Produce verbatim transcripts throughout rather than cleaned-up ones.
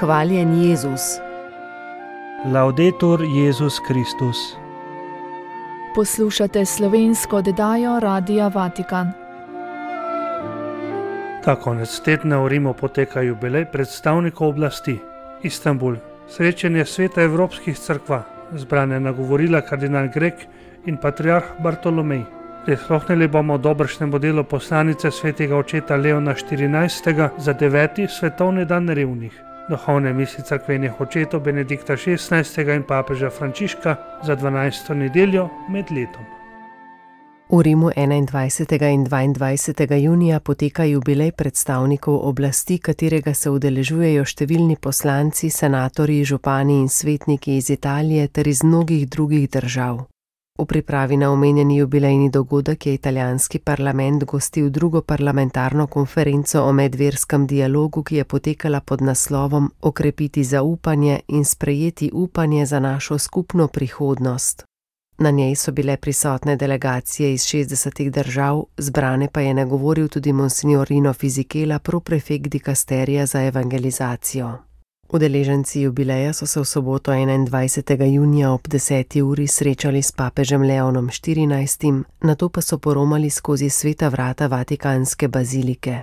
Hvaljen Jezus. Laudetur Jezus Kristus. Poslušate slovensko oddajo Radia Vatikan. Ta konec tedna v Rimu poteka jubilej predstavnikov oblasti. Istanbul, srečanje sveta evropskih cerkva, zbrane nagovorila kardinal Grek in patriarh Bartolomej. Prisluhnili bomo dobršnemu delu poslanice svetega očeta Leona štirinajstega za deveti svetovni dan revnih, duhovne misli cerkvenih očetov Benedikta šestnajstega in papeža Frančiška za dvanajsto nedeljo med letom. V Rimu enaindvajsetega in dvaindvajsetega junija poteka jubilej predstavnikov oblasti, katerega se udeležujejo številni poslanci, senatorji, župani in svetniki iz Italije ter iz mnogih drugih držav. V pripravi na omenjeni jubilejni dogodek je italijanski parlament gostil drugo parlamentarno konferenco o medverskem dialogu, ki je potekala pod naslovom Okrepiti zaupanje in sprejeti upanje za našo skupno prihodnost. Na njej so bile prisotne delegacije iz šestdesetih držav, zbrane pa je nagovoril tudi monsignor Rino Fisichella, proprefekt dikasterija za evangelizacijo. Udeleženci jubileja so se v soboto enaindvajsetega junija ob deseti uri srečali s papežem Leonom štirinajstim, nato pa so poromali skozi sveta vrata Vatikanske bazilike.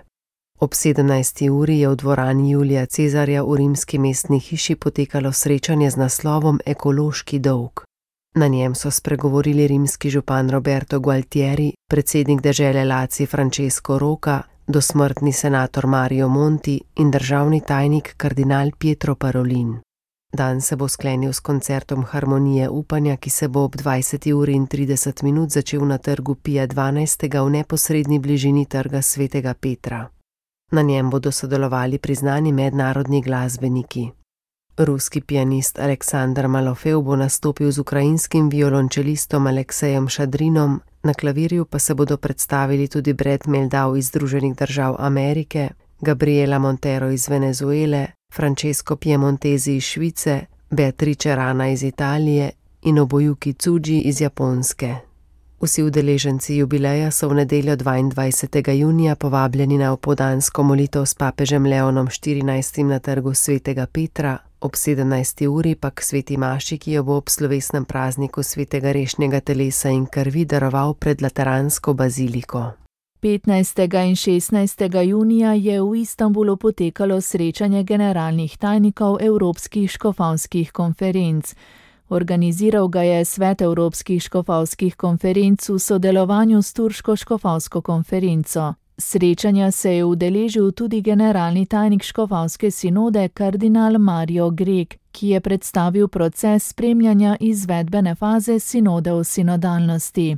Ob sedemnajsti uri je v dvorani Julija Cezarja v rimski mestni hiši potekalo srečanje z naslovom Ekološki dolg. Na njem so spregovorili rimski župan Roberto Gualtieri, predsednik dežele Lazio Francesco Rocca, dosmrtni senator Mario Monti in državni tajnik kardinal Pietro Parolin. Dan se bo sklenil s koncertom Harmonije upanja, ki se bo ob dvajseti uri in trideset minut začel na trgu Pija dvanajstega v neposredni bližini trga svetega Petra. Na njem bodo sodelovali priznani mednarodni glasbeniki. Ruski pianist Aleksandar Malofev bo nastopil z ukrajinskim violončelistom Aleksejem Šadrinom, na klavirju pa se bodo predstavili tudi Brad Meldau iz Združenih držav Amerike, Gabriela Montero iz Venezuele, Francesco Piemontesi iz Švice, Beatrice Rana iz Italije in Nobuyuki Tsuji iz Japonske. Vsi udeleženci jubileja so v nedeljo dvaindvajsetega junija povabljeni na opoldansko molitev s papežem Leonom štirinajstim na trgu svetega Petra, ob sedemnajsti uri pa k sveti maši, ki jo bo ob slovesnem prazniku svetega rešnjega telesa in krvi daroval pred Lateransko baziliko. petnajstega in šestnajstega junija je v Istanbulu potekalo srečanje generalnih tajnikov Evropskih škofovskih konferenc. Organiziral ga je Svet Evropskih škofovskih konferenc v sodelovanju s Turško škofovsko konferenco. Srečanja se je udeležil tudi generalni tajnik škofovske sinode kardinal Mario Grek, ki je predstavil proces spremljanja izvedbene faze sinode o sinodalnosti.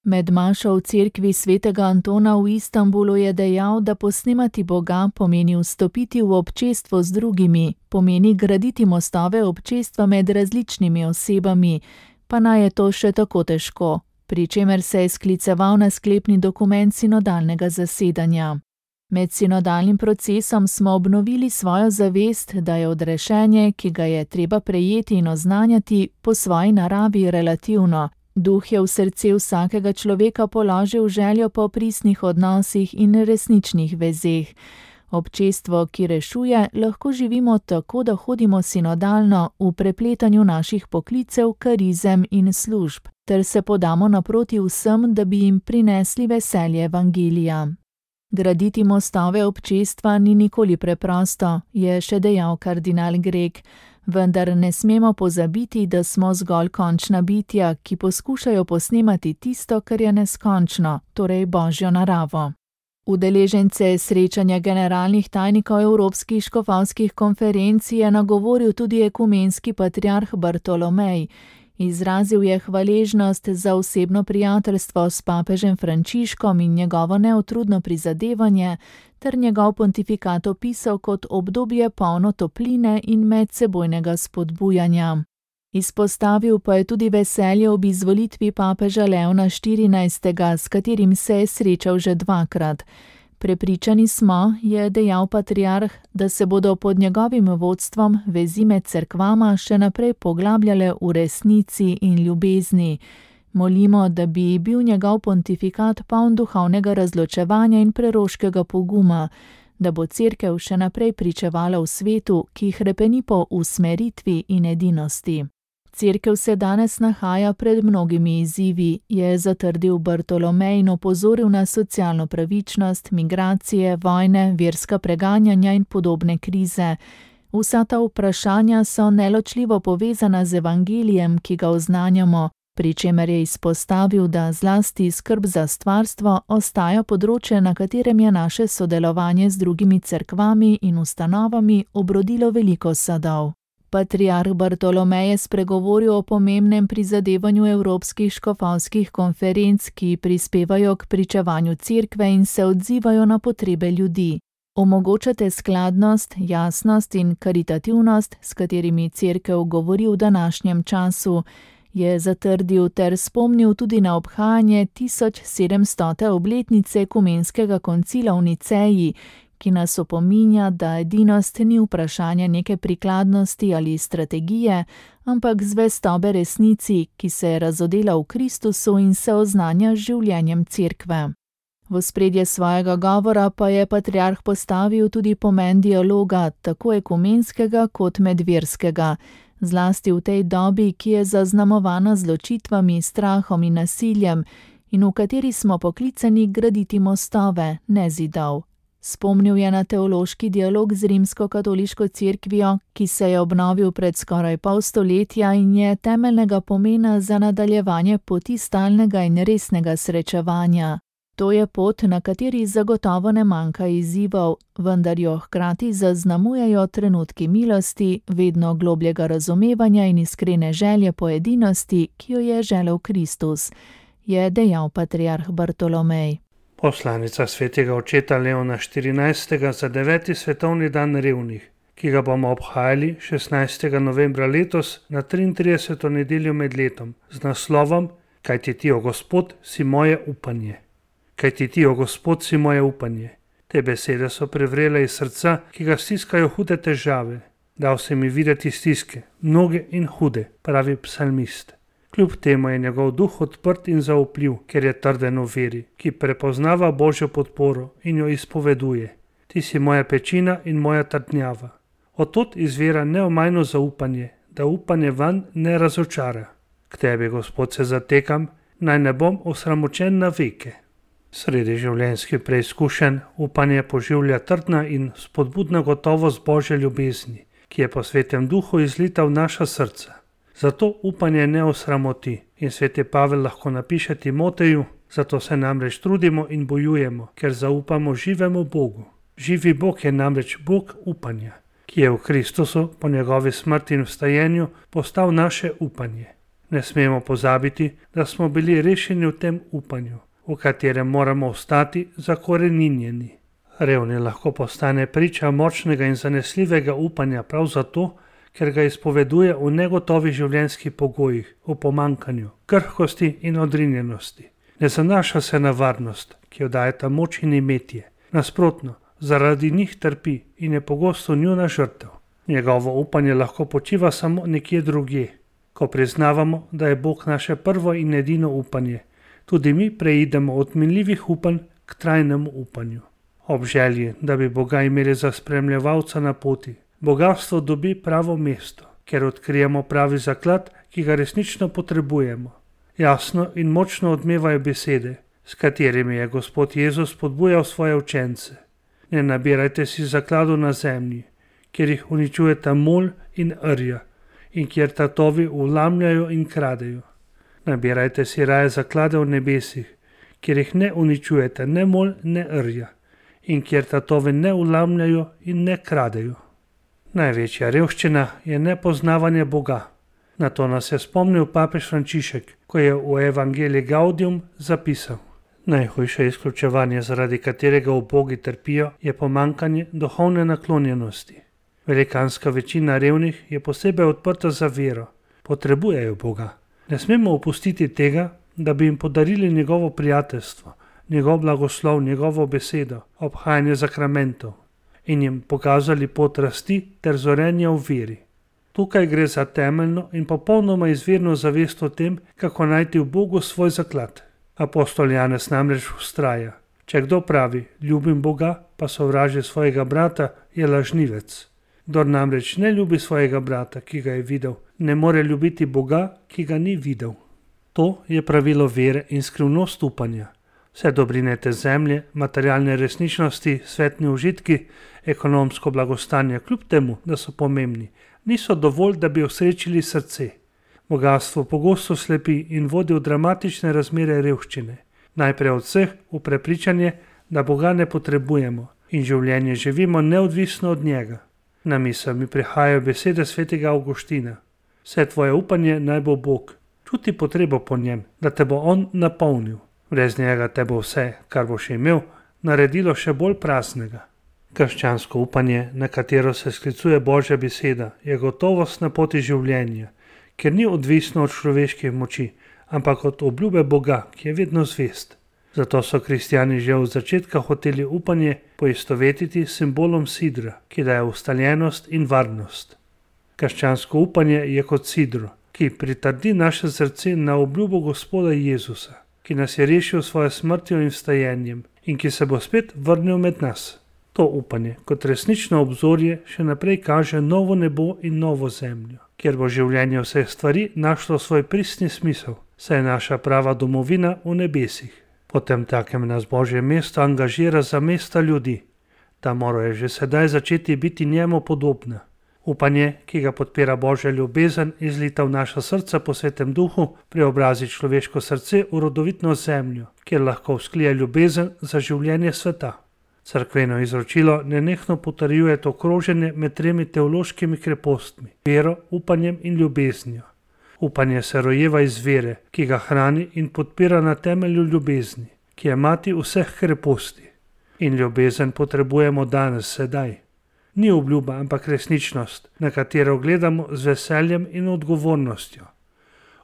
Med mašo v cerkvi svetega Antona v Istanbulu je dejal, da posnemati Boga pomeni vstopiti v občestvo z drugimi, pomeni graditi mostove občestva med različnimi osebami, pa naj je to še tako težko, pri čemer se je skliceval na sklepni dokument sinodalnega zasedanja. Med sinodalnim procesom smo obnovili svojo zavest, da je odrešenje, ki ga je treba prejeti in oznanjati, po svoji naravi relativno. Duh je v srce vsakega človeka položil željo po pristnih odnosih in resničnih vezeh. Občestvo, ki rešuje, lahko živimo tako, da hodimo sinodalno v prepletanju naših poklicev, karizem in služb, ter se podamo naproti vsem, da bi jim prinesli veselje evangelija. Graditi mostove občestva ni nikoli preprosto, je še dejal kardinal Grek, vendar ne smemo pozabiti, da smo zgolj končna bitja, ki poskušajo posnemati tisto, kar je neskončno, torej Božjo naravo. Udeležence srečanja generalnih tajnikov Evropskih škofovskih konferenc je nagovoril tudi ekumenski patriarh Bartolomej. Izrazil je hvaležnost za osebno prijateljstvo s papežem Frančiškom in njegovo neutrudno prizadevanje, ter njegov pontifikat opisal kot obdobje polno topline in medsebojnega spodbujanja. Izpostavil pa je tudi veselje ob izvolitvi papeža Leona štirinajstega, s katerim se je srečal že dvakrat. Prepričani smo, je dejal patriarh, da se bodo pod njegovim vodstvom vezi med cerkvama še naprej poglabljale v resnici in ljubezni. Molimo, da bi bil njegov pontifikat poln duhovnega razločevanja in preroškega poguma, da bo Cerkev še naprej pričevala v svetu, ki hrepeni po usmeritvi in edinosti. Cerkev se danes nahaja pred mnogimi izzivi, je zatrdil Bartolomej in opozoril na socialno pravičnost, migracije, vojne, verska preganjanja in podobne krize. Vsa ta vprašanja so neločljivo povezana z evangelijem, ki ga oznanjamo, pri čemer je izpostavil, da zlasti skrb za stvarstvo ostaja področje, na katerem je naše sodelovanje z drugimi cerkvami in ustanovami obrodilo veliko sadov. Patriarh Bartolomej je spregovoril o pomembnem prizadevanju evropskih škofovskih konferenc, ki prispevajo k pričevanju cerkve in se odzivajo na potrebe ljudi. Omogočate skladnost, jasnost in karitativnost, s katerimi cerkev govori v današnjem času, je zatrdil ter spomnil tudi na obhajanje tisoč sedemstote obletnice ekumenskega koncila v Niceji, ki nas opominja, da edinost ni vprašanje neke prikladnosti ali strategije, ampak zvestobe resnici, ki se je razodela v Kristusu in se oznanja z življenjem cerkve. V ospredje svojega govora pa je patriarh postavil tudi pomen dialoga, tako ekumenskega kot medverskega, zlasti v tej dobi, ki je zaznamovana z ločitvami, strahom in nasiljem in v kateri smo poklicani graditi mostove, ne zidov. Spomnil je na teološki dialog z rimsko-katoliško cerkvijo, ki se je obnovil pred skoraj pol stoletja in je temeljnega pomena za nadaljevanje poti stalnega in resnega srečevanja. To je pot, na kateri zagotovo ne manjka izzivov, vendar jo hkrati zaznamujejo trenutki milosti, vedno globljega razumevanja in iskrene želje po edinosti, ki jo je želel Kristus, je dejal patriarh Bartolomej. Poslanica svetega očeta Leona štirinajstega za deveti svetovni dan revnih, ki ga bomo obhajali šestnajstega novembra letos na triintrideseto nedeljo med letom z naslovom Kajti ti, o Gospod, si moje upanje. Kajti ti, o Gospod, si moje upanje. Te besede so prevrele iz srca, ki ga stiskajo hude težave. Dal se mi videti stiske, mnoge in hude, pravi psalmist. Kljub temu je njegov duh odprt in zaupljiv, ker je trden v veri, ki prepoznava Božjo podporo in jo izpoveduje. Ti si moja pečina in moja trdnjava. Odtot izvira neomajno zaupanje, da upanje vanj ne razočara. K tebi, Gospod, se zatekam, naj ne bom osramočen na veke. Sredi življenjskih preizkušenj upanje poživlja trdna in spodbudna gotovost Božje ljubezni, ki je po svetem duhu izlita v naša srca. Zato upanje ne osramoti in sveti Pavel lahko napiše Timoteju, zato se namreč trudimo in bojujemo, ker zaupamo živemu Bogu. Živi Bog je namreč Bog upanja, ki je v Kristusu po njegovi smrti in vstajenju postal naše upanje. Ne smemo pozabiti, da smo bili rešeni v tem upanju, v katerem moramo ostati zakoreninjeni. Revni lahko postane priča močnega in zanesljivega upanja prav zato, ker ga izpoveduje v negotovih življenjskih pogojih, v pomankanju, krhkosti in odrinjenosti. Ne zanaša se na varnost, ki jo dajeta moč in imetje. Nasprotno, zaradi njih trpi in je pogosto njuna žrtev. Njegovo upanje lahko počiva samo nekje drugje. Ko priznavamo, da je Bog naše prvo in edino upanje, tudi mi preidemo od minljivih upanj k trajnemu upanju. Ob želji, da bi Boga imeli za spremljevalca na poti, bogatstvo dobi pravo mesto, ker odkrijemo pravi zaklad, ki ga resnično potrebujemo. Jasno in močno odmevajo besede, s katerimi je Gospod Jezus spodbujal svoje učence. Ne nabirajte si zakladov na zemlji, kjer jih uničujeta mol in rja in kjer tatovi vlamljajo in kradejo. Nabirajte si raje zaklade v nebesih, kjer jih ne uničujete ne mol ne rja in kjer tatovi ne vlamljajo in ne kradejo. Največja revščina je nepoznavanje Boga. Na to nas je spomnil papež Frančišek, ko je v Evangelii Gaudium zapisal: Najhujše izključevanje, zaradi katerega ubogi trpijo, je pomankanje duhovne naklonjenosti. Velikanska večina revnih je posebej odprta za vero, potrebujejo Boga. Ne smemo opustiti tega, da bi jim podarili njegovo prijateljstvo, njegov blagoslov, njegovo besedo, obhajanje zakramentov in jim pokazali pot rasti ter zorenja v veri. Tukaj gre za temeljno in popolnoma izvirno zavest o tem, kako najti v Bogu svoj zaklad. Apostol Janez namreč vztraja: Če kdo pravi, ljubim Boga, pa sovraži svojega brata, je lažnivec. Kdor namreč ne ljubi svojega brata, ki ga je videl, ne more ljubiti Boga, ki ga ni videl. To je pravilo vere in skrivnost upanja. Vse dobrine te zemlje, materialne resničnosti, svetni užitki, ekonomsko blagostanje, kljub temu, da so pomembni, niso dovolj, da bi osrečili srce. Bogastvo pogosto slepi in vodi v dramatične razmere revščine. Najprej od vseh v prepričanje, da Boga ne potrebujemo in življenje živimo neodvisno od njega. Na misel mi prihajajo besede svetega Avguština. Vse tvoje upanje naj bo Bog. Čuti potrebo po njem, da te bo on napolnil. Brez njega te bo vse, kar boš imel, naredilo še bolj praznega. Krščansko upanje, na katero se sklicuje Božja beseda, je gotovost na poti življenja, ker ni odvisno od človeških moči, ampak od obljube Boga, ki je vedno zvest. Zato so kristjani že od začetka hoteli upanje poistovetiti s simbolom sidra, ki daje ustaljenost in varnost. Krščansko upanje je kot sidro, ki pritrdi naše srce na obljubo Gospoda Jezusa, ki nas je rešil svojo smrtjo in vstajenjem in ki se bo spet vrnil med nas. To upanje kot resnično obzorje še naprej kaže novo nebo in novo zemljo, kjer bo življenje vseh stvari našlo svoj pristni smisel, saj je naša prava domovina v nebesih. Potem takem nas Božje mesto angažira za mesta ljudi. Ta morajo že sedaj začeti biti njemu podobna. Upanje, ki ga podpira Božja ljubezen, izlita v naša srca po Svetem Duhu, preobrazi človeško srce v rodovitno zemljo, kjer lahko vzklije ljubezen za življenje sveta. Cerkveno izročilo nenehno potrjuje to kroženje med tremi teološkimi krepostmi, vero, upanjem in ljubeznijo. Upanje se rojeva iz vere, ki ga hrani in podpira na temelju ljubezni, ki je mati vseh kreposti. In ljubezen potrebujemo danes, sedaj. Ni obljuba, ampak resničnost, na katero gledamo z veseljem in odgovornostjo.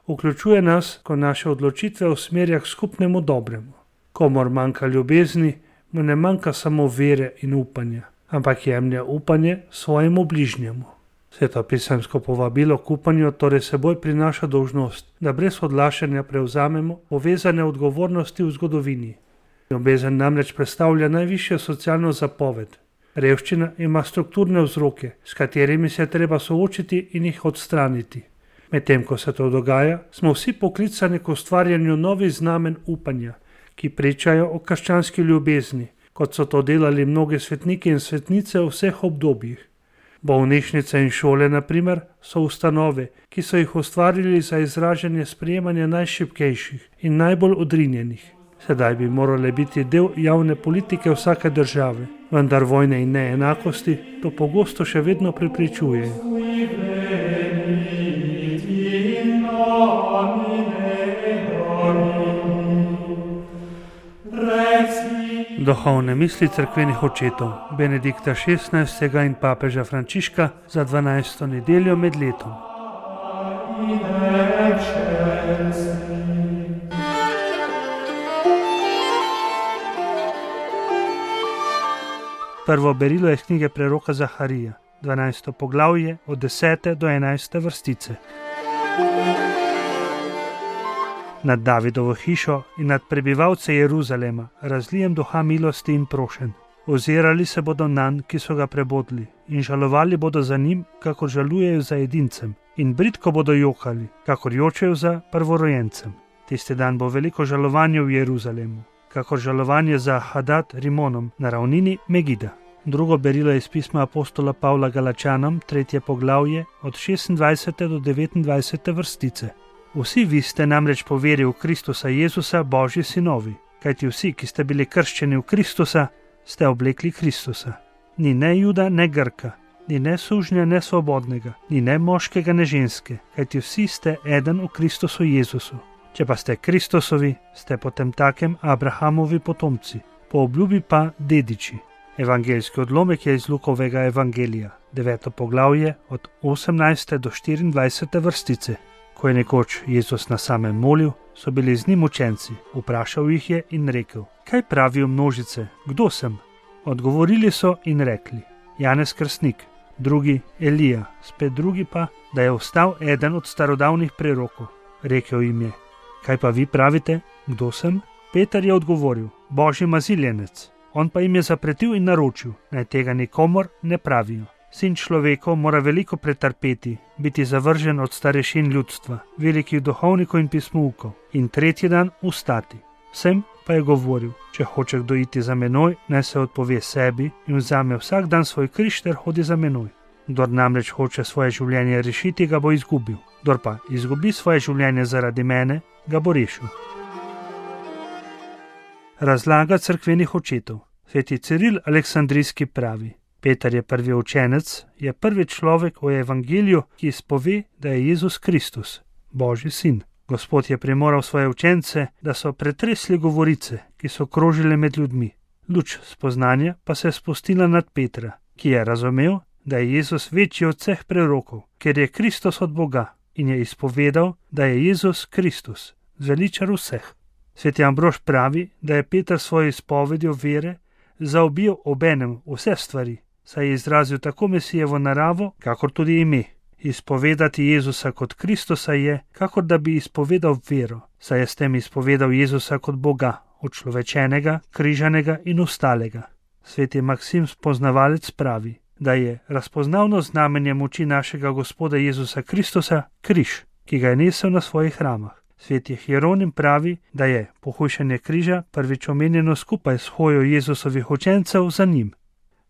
Vključuje nas, ko naše odločitve usmerja k skupnemu dobremu. Komor manjka ljubezni, mu ne manjka samo vere in upanja, ampak jemlje upanje svojemu bližnjemu. Svetopisemsko povabilo k upanju torej seboj prinaša dolžnost, da brez odlašanja prevzamemo povezane odgovornosti v zgodovini. Ljubezen namreč predstavlja najvišjo socialno zapoved. Revščina ima strukturne vzroke, s katerimi se je treba soočiti in jih odstraniti. Medtem ko se to dogaja, smo vsi poklicani k ustvarjanju novih znamen upanja, ki pričajo o krščanski ljubezni, kot so to delali mnogi svetniki in svetnice v vseh obdobjih. Bolnišnice in šole, na primer, so ustanove, ki so jih ustvarili za izražanje sprejemanja najšibkejših in najbolj odrinjenih. Sedaj bi morale biti del javne politike vsake države, vendar vojne in neenakosti to pogosto še vedno preprečujejo. Duhovne misli cerkvenih očetov Benedikta šestnajstega in papeža Frančiška za dvanajsto nedeljo med letom. Prvo berilo je iz knjige preroka Zaharija, dvanajsto poglavje od desete do enajste vrstice. Nad Davidovo hišo in nad prebivalce Jeruzalema razlijem duha milosti in prošen. Ozirali se bodo nanj, ki so ga prebodli, in žalovali bodo za njim, kakor žalujejo za edincem, in bridko bodo jokali, kakor jočejo za prvorojencem. Tisti dan bo veliko žalovanje v Jeruzalemu, kakor žalovanje za Hadad Rimonom na ravnini Megida. Drugo berilo je iz pisma apostola Pavla Galačanom, tretje poglavje od šestindvajsete do devetindvajsete vrstice. Vsi vi ste namreč po veri v Kristusa Jezusa Božji sinovi, kajti vsi, ki ste bili krščeni v Kristusa, ste oblekli Kristusa. Ni ne Juda, ne Grka, ni ne sužnja, ne svobodnega, ni ne moškega, ne ženske, kajti vsi ste eden v Kristusu Jezusu. Če pa ste Kristusovi, ste potem takem Abrahamovi potomci, po obljubi pa dediči. Evangeljski odlomek je iz Lukovega evangelija, deveto poglavje od osemnajste do štiriindvajsete vrstice. Ko je nekoč Jezus na samem molil, so bili z njim učenci, vprašal jih je in rekel: kaj pravijo množice, kdo sem? Odgovorili so in rekli: Janez Krstnik, drugi Elija, spet drugi pa, da je ostal eden od starodavnih prerokov. Rekel jim je: kaj pa vi pravite, kdo sem? Peter je odgovoril: Božji maziljenec. On pa jim je zapretil in naročil, naj tega nikomur ne pravijo. Sin človekov mora veliko pretrpeti, biti zavržen od starešin ljudstva, velikih duhovnikov in pismoukov in tretji dan vstati. Vsem pa je govoril: če hoče kdo iti za menoj, naj se odpove sebi in vzame vsak dan svoj križ ter hodi za menoj. Kdor namreč hoče svoje življenje rešiti, ga bo izgubil. Kdor pa izgubi svoje življenje zaradi mene, ga bo rešil. Razlaga cerkvenih očetov. Sveti Ciril Aleksandrijski pravi: Peter je prvi učenec, je prvi človek v evangeliju, ki izpove, da je Jezus Kristus, Božji sin. Gospod je primoral svoje učence, da so pretresli govorice, ki so krožile med ljudmi. Luč spoznanja pa se je spustila nad Petra, ki je razumel, da je Jezus večji od vseh prerokov, ker je Kristus od Boga, in je izpovedal, da je Jezus Kristus, zveličar vseh. Sveti Ambrož pravi, da je Peter svojo izpovedjo vere zaobil obenem vse stvari, saj je izrazil tako Mesijevo naravo, kakor tudi ime. Izpovedati Jezusa kot Kristusa je, kakor da bi izpovedal vero, saj je s tem izpovedal Jezusa kot Boga, učlovečenega, križanega in ustalega. Sveti Maksim spoznavalec pravi, da je razpoznavno znamenje moči našega Gospoda Jezusa Kristusa križ, ki ga je nesel na svojih ramah. Sveti Hieronim pravi, da je pohujšanje križa prvič omenjeno skupaj s hojo Jezusovih učencev za njim.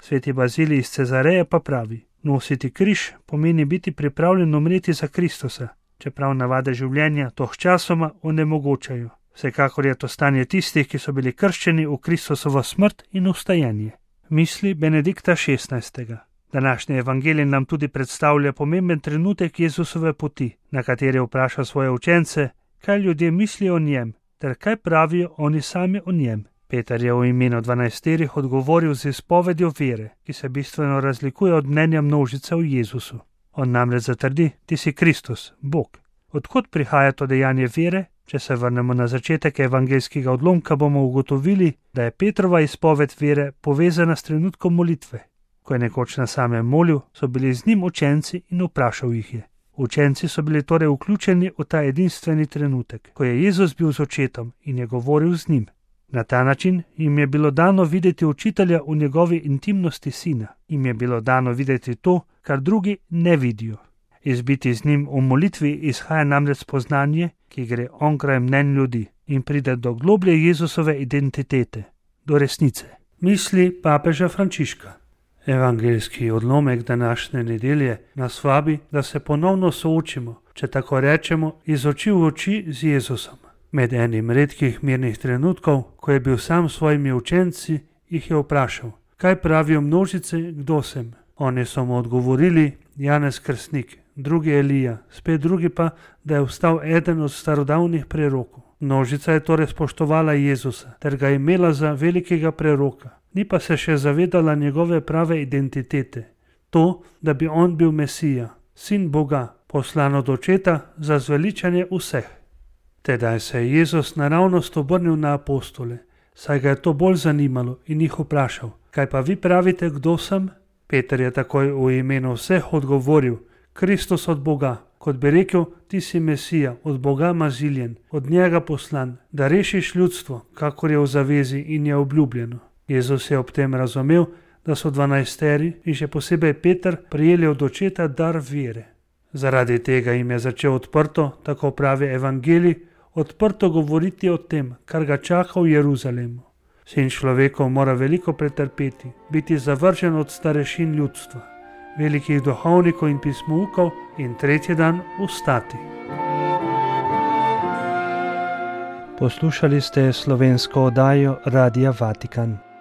Sveti Bazilij iz Cezareje pa pravi: nositi križ pomeni biti pripravljen umreti za Kristusa, čeprav navade življenja to sčasoma onemogočajo. Vsekakor je to stanje tistih, ki so bili krščeni v Kristusovo smrt in vstajanje. Misli Benedikta šestnajstega. Današnji evangelij nam tudi predstavlja pomemben trenutek Jezusove poti, na kateri vpraša svoje učence, kaj ljudje mislijo o njem, ter kaj pravijo oni sami o njem. Peter je v imenu dvanajsterih odgovoril z izpovedjo vere, ki se bistveno razlikuje od mnenja množice v Jezusu. On namreč zatrdi: ti si Kristus, Bog. Odkot prihaja to dejanje vere? Če se vrnemo na začetek evangeljskega odlomka, bomo ugotovili, da je Petrova izpoved vere povezana s trenutkom molitve. Ko je nekoč na samem molil, so bili z njim učenci in vprašal jih je. Učenci so bili torej vključeni v ta edinstveni trenutek, ko je Jezus bil z očetom in je govoril z njim. Na ta način jim je bilo dano videti učitelja v njegovi intimnosti sina. Jim je bilo dano videti to, kar drugi ne vidijo. Izbiti z njim v molitvi izhaja namreč spoznanje, ki gre onkraj mnenj ljudi in pride do globlje Jezusove identitete, do resnice. Misli papeža Frančiška. Evangeljski odlomek današnje nedelje nas vabi, da se ponovno soočimo, če tako rečemo, iz oči v oči z Jezusom. Med enim redkih mirnih trenutkov, ko je bil sam s svojimi učenci, jih je vprašal: kaj pravijo množice, kdo sem? Oni so mu odgovorili: Janez Krstnik, drugi Elija, spet drugi pa, da je vstal eden od starodavnih prerokov. Množica je torej spoštovala Jezusa ter ga imela za velikega preroka, ni pa se še zavedala njegove prave identitete, to, da bi on bil Mesija, sin Boga, poslan od očeta za zveličanje vseh. Tedaj se je Jezus naravnost obrnil na apostole, saj ga je to bolj zanimalo in jih vprašal: kaj pa vi pravite, kdo sem? Peter je takoj v imenu vseh odgovoril: Kristus od Boga, kot bi rekel, ti si Mesija, od Boga maziljen, od njega poslan, da rešiš ljudstvo, kakor je v zavezi in je obljubljeno. Jezus je ob tem razumel, da so dvanajsteri in še posebej Peter prijeli od očeta dar vere. Zaradi tega jim je začel odprto, tako pravi evangelij, odprto govoriti o tem, kar ga čaka v Jeruzalemu. Sin človekov mora veliko pretrpeti, biti zavržen od starešin ljudstva, velikih duhovnikov in pismoukov in tretji dan vstati. Poslušali ste slovensko oddajo Radia Vatikan.